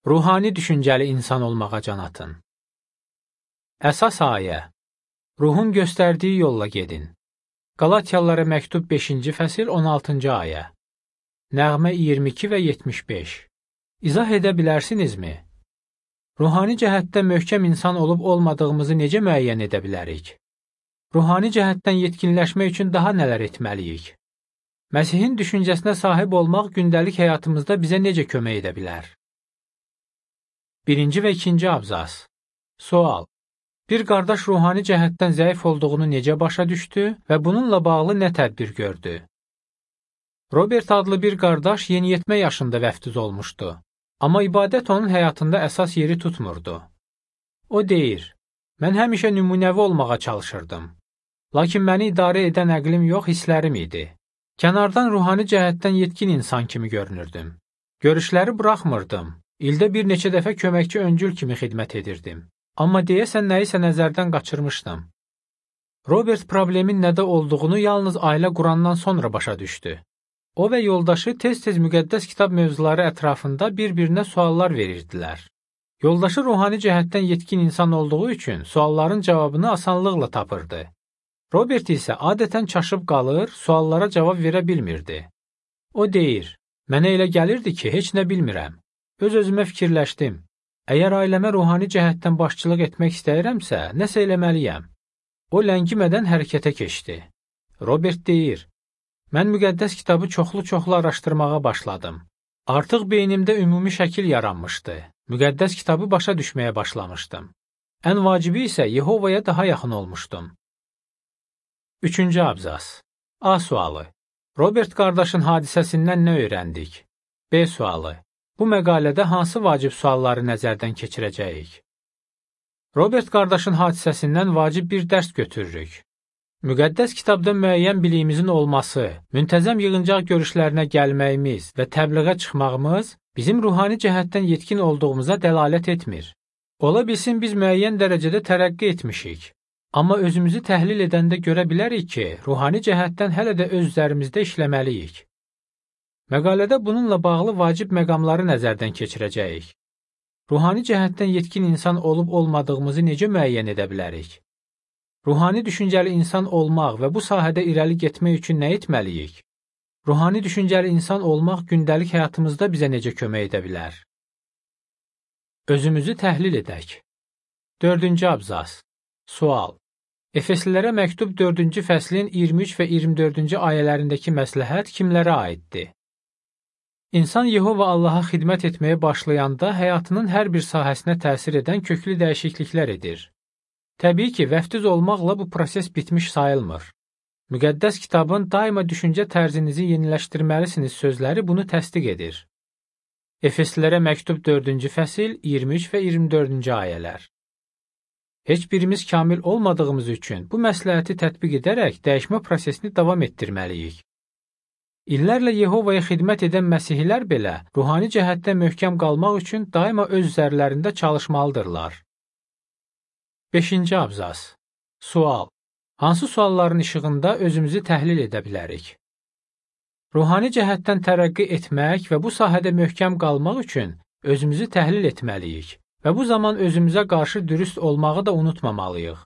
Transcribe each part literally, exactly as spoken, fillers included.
Ruhani düşüncəli insan olmağa can atın. Əsas ayə. Ruhun göstərdiyi yolla gedin. Qalatiyalılara məktub beşinci fəsil on altıncı ayə. Nəğmə iyirmi iki və yetmiş beş. İzah edə bilərsinizmi? Ruhani cəhətdə möhkəm insan olub olmadığımızı necə müəyyən edə bilərik? Ruhani cəhətdən yetkinləşmək üçün daha nələr etməliyik? Məsihin düşüncəsinə sahib olmaq gündəlik həyatımızda bizə necə kömək edə bilər? Birinci və ikinci abzas. Sual. Bir qardaş ruhani cəhətdən zəif olduğunu necə başa düşdü və bununla bağlı nə tədbir gördü? Robert adlı bir qardaş yeniyetmə yaşında vəftiz olmuşdu. Amma ibadət onun həyatında əsas yeri tutmurdu. O deyir, mən həmişə nümunəvi olmağa çalışırdım. Lakin məni idarə edən əqlim yox, hisslərim idi. Kənardan ruhani cəhətdən yetkin insan kimi görünürdüm. Görüşləri buraxmırdım. İldə bir neçə dəfə köməkçi öncül kimi xidmət edirdim. Amma deyəsən nəyisə nəzərdən qaçırmışdım. Robert problemin nədə olduğunu yalnız ailə qurandan sonra başa düşdü. O və yoldaşı tez-tez müqəddəs kitab mövzuları ətrafında bir-birinə suallar verirdilər. Yoldaşı ruhani cəhətdən yetkin insan olduğu üçün sualların cavabını asanlıqla tapırdı. Robert isə adətən çaşıb qalır, suallara cavab verə bilmirdi. O deyir, mənə elə gəlirdi ki, heç nə bilmirəm. Öz-özümə fikirləşdim. Əgər ailəmə ruhani cəhətdən başçılıq etmək istəyirəmsə, nəsə eləməliyəm. O ləngimədən hərəkətə keçdi. Robert deyir, mən müqəddəs kitabı çoxlu-çoxlu araşdırmağa başladım. Artıq beynimdə ümumi şəkil yaranmışdı. Müqəddəs kitabı başa düşməyə başlamışdım. Ən vacibi isə Yehovaya daha yaxın olmuşdum. Üçüncü abzas. A sualı. Robert qardaşın hadisəsindən nə öyrəndik? B sualı. Bu məqalədə hansı vacib sualları nəzərdən keçirəcəyik? Robert qardaşın hadisəsindən vacib bir dərs götürürük. Müqəddəs kitabda müəyyən biliyimizin olması, müntəzəm yığıncaq görüşlərinə gəlməyimiz və təbliğə çıxmağımız bizim ruhani cəhətdən yetkin olduğumuza dəlalət etmir. Ola bilsin biz müəyyən dərəcədə tərəqqi etmişik. Amma özümüzü təhlil edəndə görə bilərik ki, ruhani cəhətdən hələ də öz üzərimizdə işləməliyik. Məqalədə bununla bağlı vacib məqamları nəzərdən keçirəcəyik. Ruhani cəhətdən yetkin insan olub-olmadığımızı necə müəyyən edə bilərik? Ruhani düşüncəli insan olmaq və bu sahədə irəli getmək üçün nə etməliyik? Ruhani düşüncəli insan olmaq gündəlik həyatımızda bizə necə kömək edə bilər? Özümüzü təhlil edək. Dördüncü abzas. Sual. Efeslilərə məktub dördüncü fəslin iyirmi üç və iyirmi dördüncü ayələrindəki məsləhət kimlərə aiddir? İnsan Yehova Allaha xidmət etməyə başlayanda həyatının hər bir sahəsinə təsir edən köklü dəyişikliklər edir. Təbii ki, vəftiz olmaqla bu proses bitmiş sayılmır. Müqəddəs kitabın daima düşüncə tərzinizi yeniləşdirməlisiniz sözləri bunu təsdiq edir. Efeslilərə məktub dördüncü fəsil iyirmi üç və iyirmi dördüncü ayələr. Heç birimiz kamil olmadığımız üçün bu məsləhəti tətbiq edərək dəyişmə prosesini davam etdirməliyik. İllərlə Yehovaya xidmət edən məsihlər belə ruhani cəhətdə möhkəm qalmaq üçün daima öz üzərlərində çalışmalıdırlar. Beşinci abzas. Sual. Hansı sualların işığında özümüzü təhlil edə bilərik? Ruhani cəhətdən tərəqqi etmək və bu sahədə möhkəm qalmaq üçün özümüzü təhlil etməliyik və bu zaman özümüzə qarşı dürüst olmağı da unutmamalıyıq.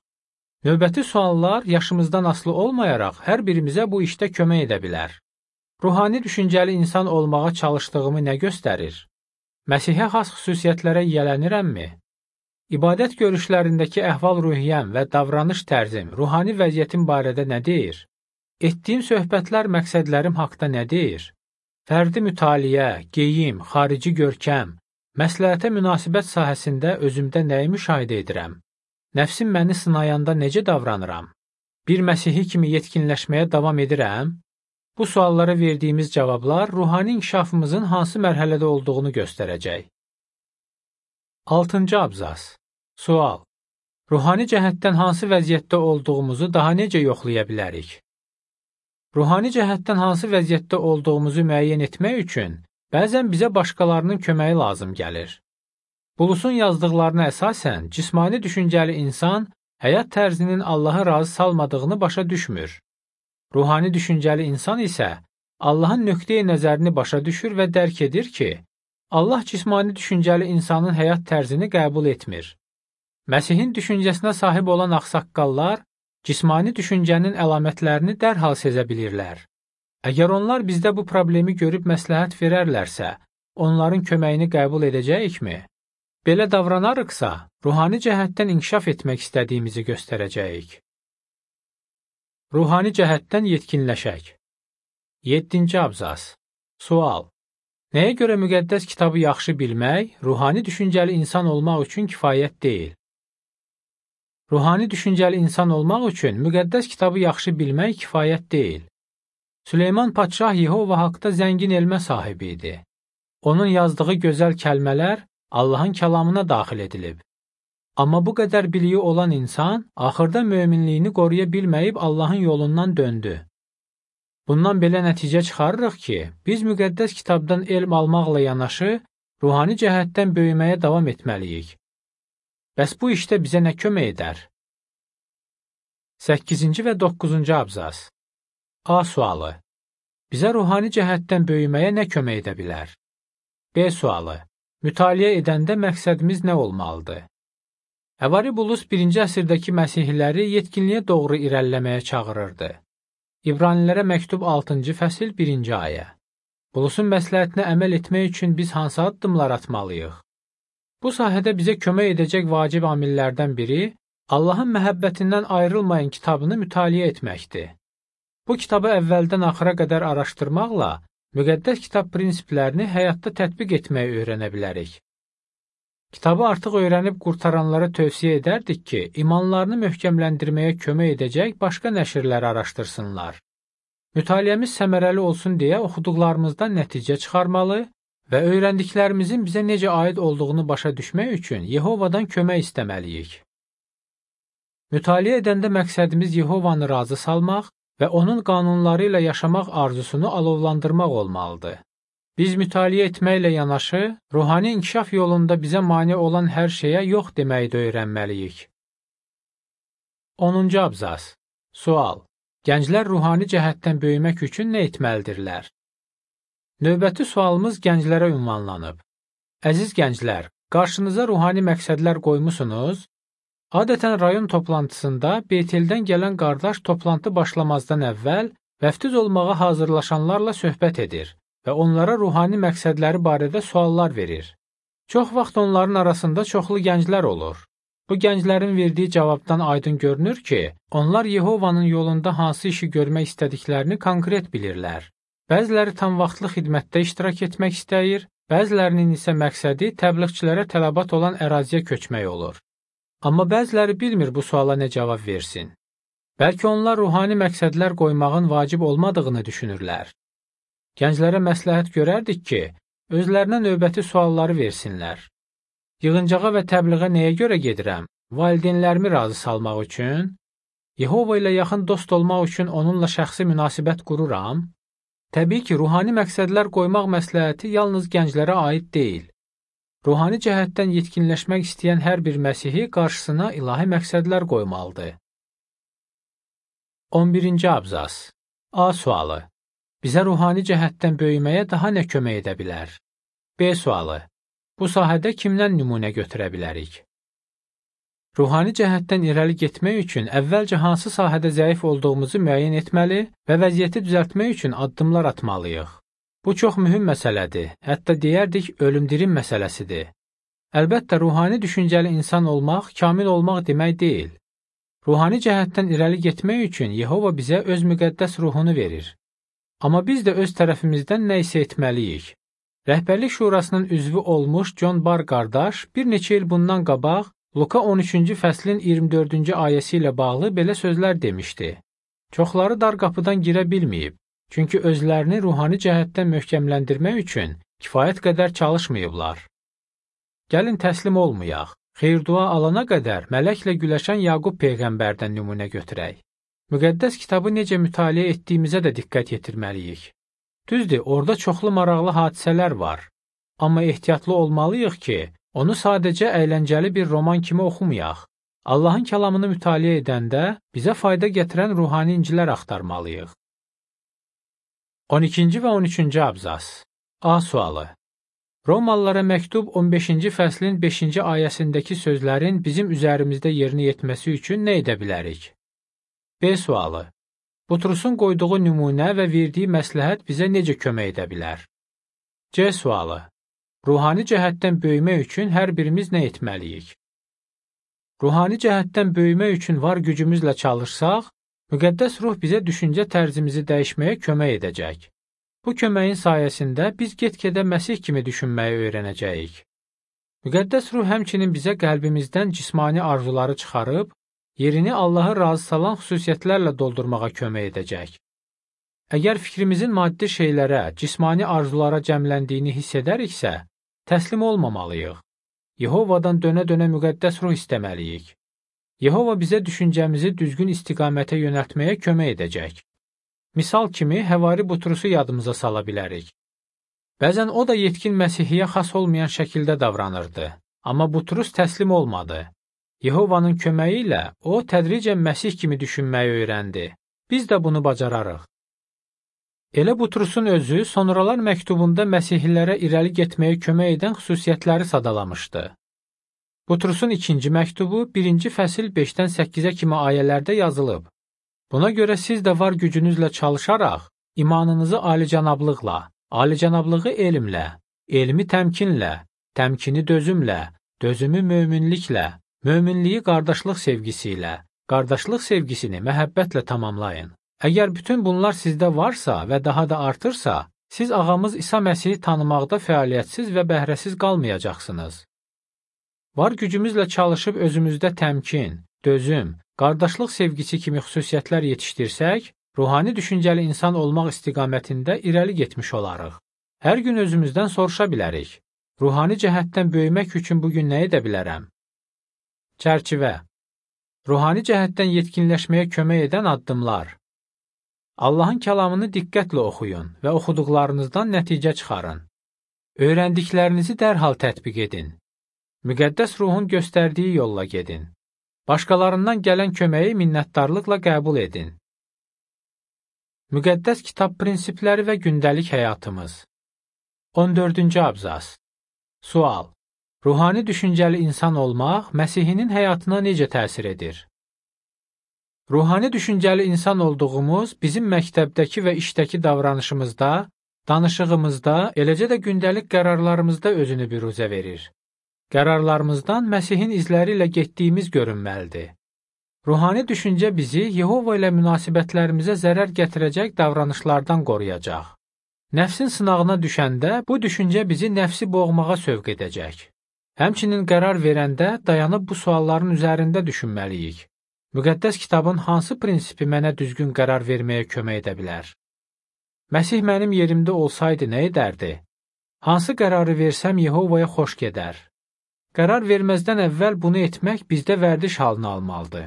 Növbəti suallar yaşımızdan asılı olmayaraq hər birimizə bu işdə kömək edə bilər. Ruhani düşüncəli insan olmağa çalışdığımı nə göstərir? Məsihə xas xüsusiyyətlərə yiyələnirəmmi? İbadət görüşlərindəki əhval-ruhiyyəm və davranış tərzim ruhani vəziyyətim barədə nə deyir? Etdiyim söhbətlər məqsədlərim haqda nə deyir? Fərdi mütaliə, geyim, xarici görkəm, məsləhətə münasibət sahəsində özümdə nəyi müşahidə edirəm? Nəfsim məni sınayanda necə davranıram? Bir Məsihi kimi yetkinləşməyə davam edirəm? Bu suallara verdiyimiz cavablar ruhani inkişafımızın hansı mərhələdə olduğunu göstərəcək. Altıncı abzas. Sual. Ruhani cəhətdən hansı vəziyyətdə olduğumuzu daha necə yoxlaya bilərik? Ruhani cəhətdən hansı vəziyyətdə olduğumuzu müəyyən etmək üçün bəzən bizə başqalarının köməyi lazım gəlir. Bulusun yazdıqlarına əsasən, cismani düşüncəli insan həyat tərzinin Allahı razı salmadığını başa düşmür. Ruhani düşüncəli insan isə Allahın nöqteyi nəzərini başa düşür və dərk edir ki, Allah cismani düşüncəli insanın həyat tərzini qəbul etmir. Məsihin düşüncəsinə sahib olan ağsaqqallar cismani düşüncənin əlamətlərini dərhal sezə bilirlər. Əgər onlar bizdə bu problemi görüb məsləhət verərlərsə, onların köməyini qəbul edəcəyikmi? Belə davranarıqsa, ruhani cəhətdən inkişaf etmək istədiyimizi göstərəcəyik. Ruhani cəhətdən yetkinləşək. yeddinci abzas. Sual. Nəyə görə müqəddəs kitabı yaxşı bilmək, ruhani düşüncəli insan olmaq üçün kifayət deyil? Ruhani düşüncəli insan olmaq üçün müqəddəs kitabı yaxşı bilmək kifayət deyil. Süleyman Padşah Yehova haqda zəngin elmə sahibi idi. Onun yazdığı gözəl kəlmələr Allahın kəlamına daxil edilib. Amma bu qədər biliyi olan insan axırda möminliyini qoruya bilməyib Allahın yolundan döndü. Bundan belə nəticə çıxarırıq ki, biz müqəddəs kitabdan elm almaqla yanaşı, ruhani cəhətdən böyüməyə davam etməliyik. Bəs bu işdə bizə nə kömək edər? səkkizinci və doqquzuncu abzas. A sualı. Bizə ruhani cəhətdən böyüməyə nə kömək edə bilər? B sualı. Mütaliə edəndə məqsədimiz nə olmalıdır? Evaribulus birinci əsrdəki məsihliləri yetkinliyə doğru irəliləməyə çağırırdı. İbranilərə məktub altıncı fəsil birinci ayə. Bulusun məsləhətinə əməl etmək üçün biz hansı addımlar atmalıyıq? Bu sahədə bizə kömək edəcək vacib amillərdən biri Allahın məhəbbətindən ayrılmayan kitabını mütaliə etməkdir. Bu kitabı əvvəldən axıra qədər araşdırmaqla müqəddəs kitab prinsiplərini həyatda tətbiq etməyi öyrənə bilərik. Kitabı artıq öyrənib qurtaranlara tövsiyə edərdik ki, imanlarını möhkəmləndirməyə kömək edəcək başqa nəşrləri araşdırsınlar. Mütaliəmiz səmərəli olsun deyə oxuduqlarımızdan nəticə çıxarmalı və öyrəndiklərimizin bizə necə aid olduğunu başa düşmək üçün Yehovadan kömək istəməliyik. Mütaliə edəndə məqsədimiz Yehovanı razı salmaq və onun qanunları ilə yaşamaq arzusunu alovlandırmaq olmalıdır. Biz mütaliə etməklə yanaşı, ruhani inkişaf yolunda bizə mane olan hər şeyə yox deməyi də öyrənməliyik. onuncu abzas. Sual. Gənclər ruhani cəhətdən böyümək üçün nə etməlidirlər? Növbəti sualımız gənclərə ünvanlanıb. Əziz gənclər, qarşınıza ruhani məqsədlər qoymusunuz? Adətən rayon toplantısında Beyteldən gələn qardaş toplantı başlamazdan əvvəl vəftiz olmağa hazırlaşanlarla söhbət edir və onlara ruhani məqsədləri barədə suallar verir. Çox vaxt onların arasında çoxlu gənclər olur. Bu gənclərin verdiyi cavabdan aydın görünür ki, onlar Yehovanın yolunda hansı işi görmək istədiklərini konkret bilirlər. Bəziləri tam vaxtlı xidmətdə iştirak etmək istəyir, bəzilərinin isə məqsədi təbliğçilərə tələbat olan əraziyə köçmək olur. Amma bəziləri bilmir bu suala nə cavab versin. Bəlkə onlar ruhani məqsədlər qoymağın vacib olmadığını düşünürlər. Gənclərə məsləhət görərdik ki, özlərinə növbəti sualları versinlər. Yığıncağa və təbliğə nəyə görə gedirəm? Valideynlərimi razı salmaq üçün? Yehova ilə yaxın dost olmaq üçün onunla şəxsi münasibət qururam? Təbii ki, ruhani məqsədlər qoymaq məsləhəti yalnız gənclərə aid deyil. Ruhani cəhətdən yetkinləşmək istəyən hər bir Məsihi qarşısına ilahi məqsədlər qoymalıdır. on birinci abzas. A sualı. Bizə ruhani cəhətdən böyüməyə daha nə kömək edə bilər? B sualı. Bu sahədə kimdən nümunə götürə bilərik? Ruhani cəhətdən irəli getmək üçün əvvəlcə hansı sahədə zəif olduğumuzu müəyyən etməli və vəziyyəti düzəltmək üçün addımlar atmalıyıq. Bu çox mühüm məsələdir, hətta deyərdik ölüm-dirim məsələsidir. Əlbəttə, ruhani düşüncəli insan olmaq, kamil olmaq demək deyil. Ruhani cəhətdən irəli getmək üçün Yehova bizə öz müqəddəs ruhunu verir. Amma biz də öz tərəfimizdən nə isə etməliyik. Rəhbərlik şurasının üzvü olmuş John Barr qardaş bir neçə il bundan qabaq Luka on üçüncü fəslin iyirmi dördüncü ayəsi ilə bağlı belə sözlər demişdi. Çoxları dar qapıdan girə bilməyib, çünki özlərini ruhani cəhətdən möhkəmləndirmək üçün kifayət qədər çalışmayıblar. Gəlin təslim olmayaq. Xeyir-dua alana qədər mələklə güləşən Yaqub peyğəmbərdən nümunə götürək. Müqəddəs kitabı necə mütaliə etdiyimizə də diqqət yetirməliyik. Düzdür, orada çoxlu maraqlı hadisələr var. Amma ehtiyatlı olmalıyıq ki, onu sadəcə əyləncəli bir roman kimi oxumayaq. Allahın kəlamını mütaliə edəndə bizə fayda gətirən ruhani incilər axtarmalıyıq. on ikinci və on üçüncü abzas. A sualı. Romalılara məktub on beşinci fəslin beşinci ayəsindəki sözlərin bizim üzərimizdə yerinə yetməsi üçün nə edə bilərik? B sualı. Butrusun qoyduğu nümunə və verdiyi məsləhət bizə necə kömək edə bilər? C sualı. Ruhani cəhətdən böyümək üçün hər birimiz nə etməliyik? Ruhani cəhətdən böyümək üçün var gücümüzlə çalışsaq, müqəddəs ruh bizə düşüncə tərzimizi dəyişməyə kömək edəcək. Bu köməyin sayəsində biz get-gedə Məsih kimi düşünməyi öyrənəcəyik. Müqəddəs ruh həmçinin bizə qəlbimizdən cismani arzuları çıxarıb, yerini Allahı razı salan xüsusiyyətlərlə doldurmağa kömək edəcək. Əgər fikrimizin maddi şeylərə, cismani arzulara cəmləndiyini hiss edəriksə, təslim olmamalıyıq. Yehovadan dönə-dönə müqəddəs ruh istəməliyik. Yehova bizə düşüncəmizi düzgün istiqamətə yönəltməyə kömək edəcək. Misal kimi, Həvari Butrusu yadımıza sala bilərik. Bəzən o da yetkin Məsihiyyə xas olmayan şəkildə davranırdı, amma Butrus təslim olmadı. Yehovanın köməyi ilə o, tədricən Məsih kimi düşünməyi öyrəndi. Biz də bunu bacararıq. Elə Butrusun özü, sonralar məktubunda Məsihlilərə irəli getməyə kömək edən xüsusiyyətləri sadalamışdı. Butrusun ikinci məktubu, birinci fəsil beşdən səkkizə kimi ayələrdə yazılıb. Buna görə siz də var gücünüzlə çalışaraq, imanınızı alicənablıqla, alicənablığı elmlə, elmi təmkinlə, təmkini dözümlə, dözümü möminliklə, möminliyi qardaşlıq sevgisi ilə, qardaşlıq sevgisini məhəbbətlə tamamlayın. Əgər bütün bunlar sizdə varsa və daha da artırsa, siz ağamız İsa Məsihi tanımaqda fəaliyyətsiz və bəhrəsiz qalmayacaqsınız. Var gücümüzlə çalışıb özümüzdə təmkin, dözüm, qardaşlıq sevgisi kimi xüsusiyyətlər yetişdirsək, ruhani düşüncəli insan olmaq istiqamətində irəli getmiş olarıq. Hər gün özümüzdən soruşa bilərik. Ruhani cəhətdən böyümək üçün bugün nə edə bilərəm? Çərçivə. Ruhani cəhətdən yetkinləşməyə kömək edən addımlar. Allahın kəlamını diqqətlə oxuyun və oxuduqlarınızdan nəticə çıxarın. Öyrəndiklərinizi dərhal tətbiq edin. Müqəddəs ruhun göstərdiyi yolla gedin. Başqalarından gələn köməyi minnətdarlıqla qəbul edin. Müqəddəs kitab prinsipləri və gündəlik həyatımız. on dördüncü abzas. Sual. Ruhani düşüncəli insan olmaq Məsihinin həyatına necə təsir edir? Ruhani düşüncəli insan olduğumuz bizim məktəbdəki və işdəki davranışımızda, danışığımızda, eləcə də gündəlik qərarlarımızda özünü büruzə verir. Qərarlarımızdan Məsihin izləri ilə getdiyimiz görünməlidir. Ruhani düşüncə bizi Yehova ilə münasibətlərimizə zərər gətirəcək davranışlardan qoruyacaq. Nəfsin sınağına düşəndə bu düşüncə bizi nəfsi boğmağa sövq edəcək. Həmçinin qərar verəndə dayanıb bu sualların üzərində düşünməliyik. Müqəddəs kitabın hansı prinsipi mənə düzgün qərar verməyə kömək edə bilər? Məsih mənim yerimdə olsaydı nə edərdi? Hansı qərarı versəm Yehovaya xoş gedər? Qərar verməzdən əvvəl bunu etmək bizdə vərdiş halını almalıdır.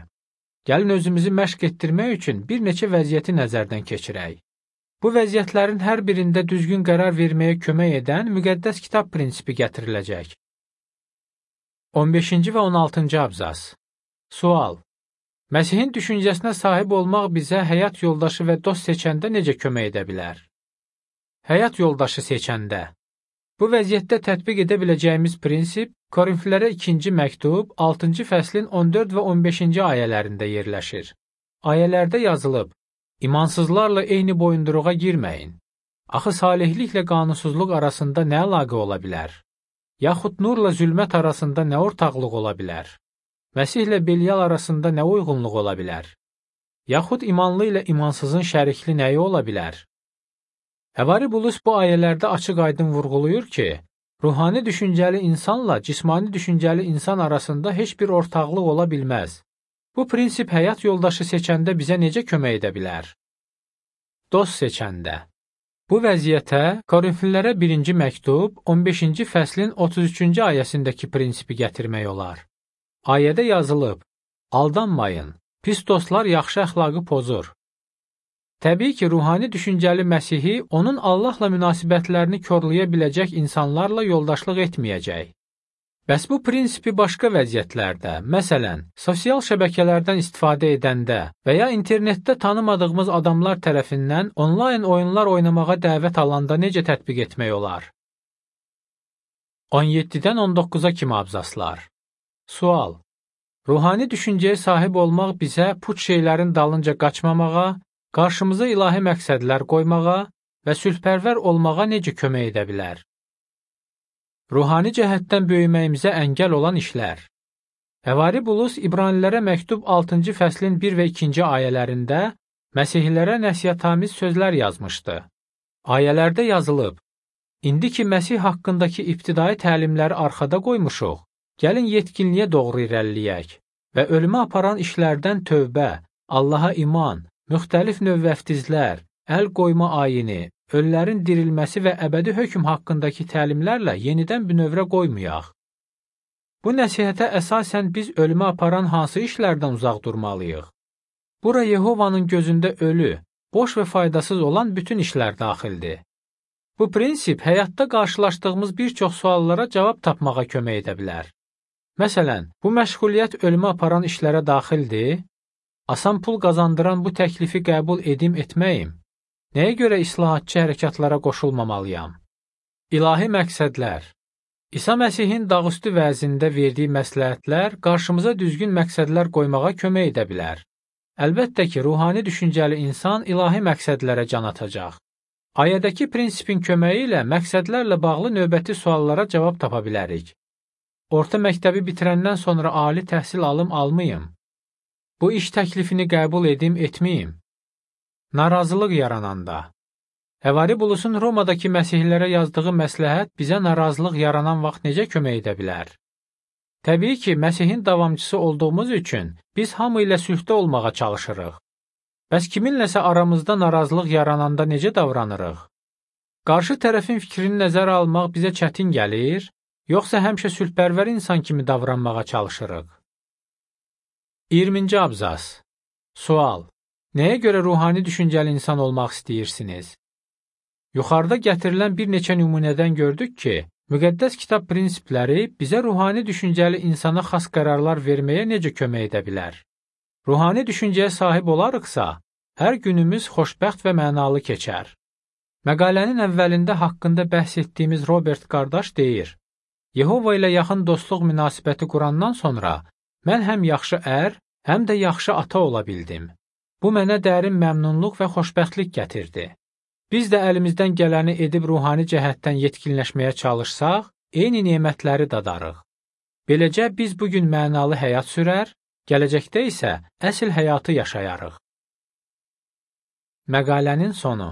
Gəlin özümüzü məşq etdirmək üçün bir neçə vəziyyəti nəzərdən keçirək. Bu vəziyyətlərin hər birində düzgün qərar verməyə kömək edən müqəddəs kitab prinsipi gətiriləcək. on beşinci və on altıncı abzas. Sual. Məsihin düşüncəsinə sahib olmaq bizə həyat yoldaşı və dost seçəndə necə kömək edə bilər? Həyat yoldaşı seçəndə. Bu vəziyyətdə tətbiq edə biləcəyimiz prinsip Korinflilərə ikinci məktub, altıncı fəslin on dörd və on beşinci ayələrində yerləşir. Ayələrdə yazılıb, İmansızlarla eyni boyunduruğa girməyin. Axı salihliklə qanunsuzluq arasında nə əlaqə ola bilər? Yaxud nurla zülmət arasında nə ortaqlıq ola bilər? Məsihlə Belial arasında nə uyğunluq ola bilər? Yaxud imanlı ilə imansızın şərikli nəyi ola bilər? Həvari Bulus bu ayələrdə açıq-aydın vurğulayır ki, ruhani düşüncəli insanla cismani düşüncəli insan arasında heç bir ortaqlıq ola bilməz. Bu prinsip həyat yoldaşı seçəndə bizə necə kömək edə bilər? Dost seçəndə. Bu vəziyyətə Korinflilərə birinci məktub, on beşinci fəslin otuz üçüncü ayəsindəki prinsipi gətirmək olar. Ayədə yazılıb, aldanmayın, pis dostlar yaxşı əxlaqı pozur. Təbii ki, ruhani düşüncəli Məsihi onun Allahla münasibətlərini korlaya biləcək insanlarla yoldaşlıq etməyəcək. Bəs bu prinsipi başqa vəziyyətlərdə, məsələn, sosial şəbəkələrdən istifadə edəndə və ya internetdə tanımadığımız adamlar tərəfindən onlayn oyunlar oynamağa dəvət alanda necə tətbiq etmək olar? on yeddidən on doqquza kimi abzaslar. Sual: Ruhani düşüncəyə sahib olmaq bizə puç şeylərin dalınca qaçmamağa, qarşımıza ilahi məqsədlər qoymağa və sülhpərvər olmağa necə kömək edə bilər? Ruhani cəhətdən böyüməyimizə əngəl olan işlər. Həvari Bulus İbranilərə məktub altıncı fəslin bir və ikinci ayələrində Məsihlilərə nəsihətamiz sözlər yazmışdı. Ayələrdə yazılıb: İndi ki, Məsih haqqındakı ibtidai təlimləri arxada qoymuşuq, gəlin yetkinliyə doğru irəliləyək və ölümə aparan işlərdən tövbə, Allaha iman, müxtəlif növ vəftizlər, əl qoyma ayini, ölülərin dirilməsi və əbədi hökm haqqındakı təlimlərlə yenidən bünövrə qoymayaq. Bu nəsihətə əsasən biz ölümə aparan hansı işlərdən uzaq durmalıyıq? Bura Yehovanın gözündə ölü, boş və faydasız olan bütün işlər daxildir. Bu prinsip həyatda qarşılaşdığımız bir çox suallara cavab tapmağa kömək edə bilər. Məsələn, bu məşğuliyyət ölümə aparan işlərə daxildir? Asan pul qazandıran bu təklifi qəbul edim etməyim? Nəyə görə islahatçı hərəkatlara qoşulmamalıyam? İlahi məqsədlər. İsa Məsihin dağüstü vəzində verdiyi məsləhətlər qarşımıza düzgün məqsədlər qoymağa kömək edə bilər. Əlbəttə ki, ruhani düşüncəli insan ilahi məqsədlərə can atacaq. Ayədəki prinsipin köməyi ilə məqsədlərlə bağlı növbəti suallara cavab tapa bilərik. Orta məktəbi bitirəndən sonra ali təhsil alım almayım? Bu iş təklifini qəbul edim etməyim? Narazılıq yarananda. Həvari Bulusun Romadakı məsihlilərə yazdığı məsləhət bizə narazılıq yaranan vaxt necə kömək edə bilər? Təbii ki, Məsihin davamçısı olduğumuz üçün biz hamı ilə sülhdə olmağa çalışırıq. Bəs kiminləsə aramızda narazılıq yarananda necə davranırıq? Qarşı tərəfin fikrini nəzərə almaq bizə çətin gəlir, yoxsa həmişə sülhpərvər insan kimi davranmağa çalışırıq? iyirminci abzas. Sual: Nəyə görə ruhani düşüncəli insan olmaq istəyirsiniz? Yuxarıda gətirilən bir neçə nümunədən gördük ki, müqəddəs kitab prinsipləri bizə ruhani düşüncəli insana xas qərarlar verməyə necə kömək edə bilər? Ruhani düşüncəyə sahib olarıqsa, hər günümüz xoşbəxt və mənalı keçər. Məqalənin əvvəlində haqqında bəhs etdiyimiz Robert qardaş deyir: Yehova ilə yaxın dostluq münasibəti qurandan sonra mən həm yaxşı ər, həm də yaxşı ata ola bildim. Bu mənə dərin məmnunluq və xoşbəxtlik gətirdi. Biz də əlimizdən gələni edib ruhani cəhətdən yetkinləşməyə çalışsaq, eyni nemətləri dadarıq. Beləcə biz bugün mənalı həyat sürər, gələcəkdə isə əsl həyatı yaşayarıq. Məqalənin sonu.